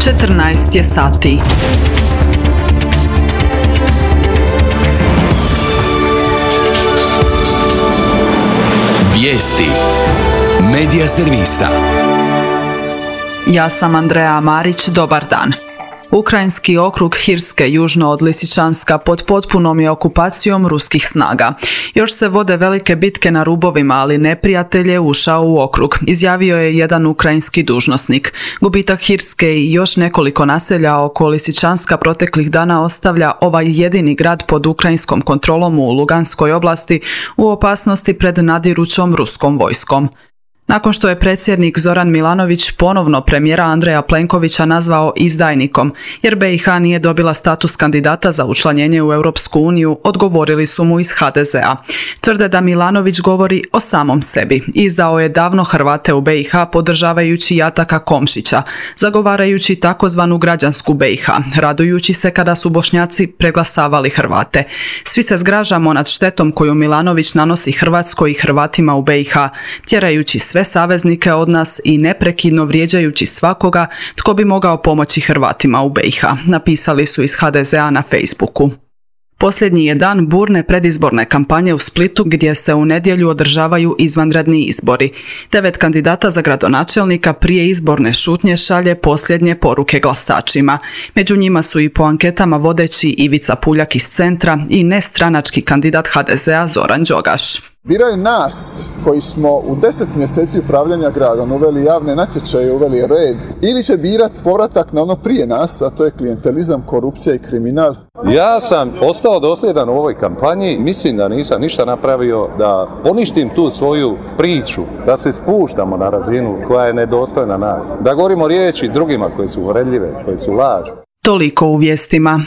14 je sati. Vijesti Medija servisa. Ja sam Andreja Marić, dobar dan. Ukrajinski okrug Hirske južno od Lisičanska pod potpunom je okupacijom ruskih snaga. Još se vode velike bitke na rubovima, ali neprijatelj je ušao u okrug, izjavio je jedan ukrajinski dužnosnik. Gubitak Hirske i još nekoliko naselja oko Lisičanska proteklih dana ostavlja ovaj jedini grad pod ukrajinskom kontrolom u Luganskoj oblasti u opasnosti pred nadirućom ruskom vojskom. Nakon što je predsjednik Zoran Milanović ponovno premijera Andreja Plenkovića nazvao izdajnikom, jer BiH nije dobila status kandidata za učlanjenje u Europsku uniju, odgovorili su mu iz HDZ-a. Tvrde da Milanović govori o samom sebi. Izdao je davno Hrvate u BiH podržavajući Jataka Komšića, zagovarajući takozvanu građansku BiH, radujući se kada su Bošnjaci preglasavali Hrvate. Svi se zgražamo nad štetom koju Milanović nanosi Hrvatskoj i Hrvatima u BiH, tjerajući sve saveznike od nas i neprekidno vrijeđajući svakoga tko bi mogao pomoći Hrvatima u BiH, napisali su iz HDZ-a na Facebooku. Posljednji je dan burne predizborne kampanje u Splitu gdje se u nedjelju održavaju izvanredni izbori. 9 kandidata za gradonačelnika prije izborne šutnje šalje posljednje poruke glasačima. Među njima su i po anketama vodeći Ivica Puljak iz Centra i nestranački kandidat HDZ-a Zoran Đogaš. Biraju nas koji smo u 10 mjeseci upravljanja gradom uveli javne natječaje, uveli red, ili će birati povratak na ono prije nas, a to je klijentelizam, korupcija i kriminal. Ja sam ostao dosljedan u ovoj kampanji, mislim da nisam ništa napravio da poništim tu svoju priču, da se spuštamo na razinu koja je nedostojna nas, da govorimo riječi drugima koje su uvredljive, koje su laž. Toliko u vijestima.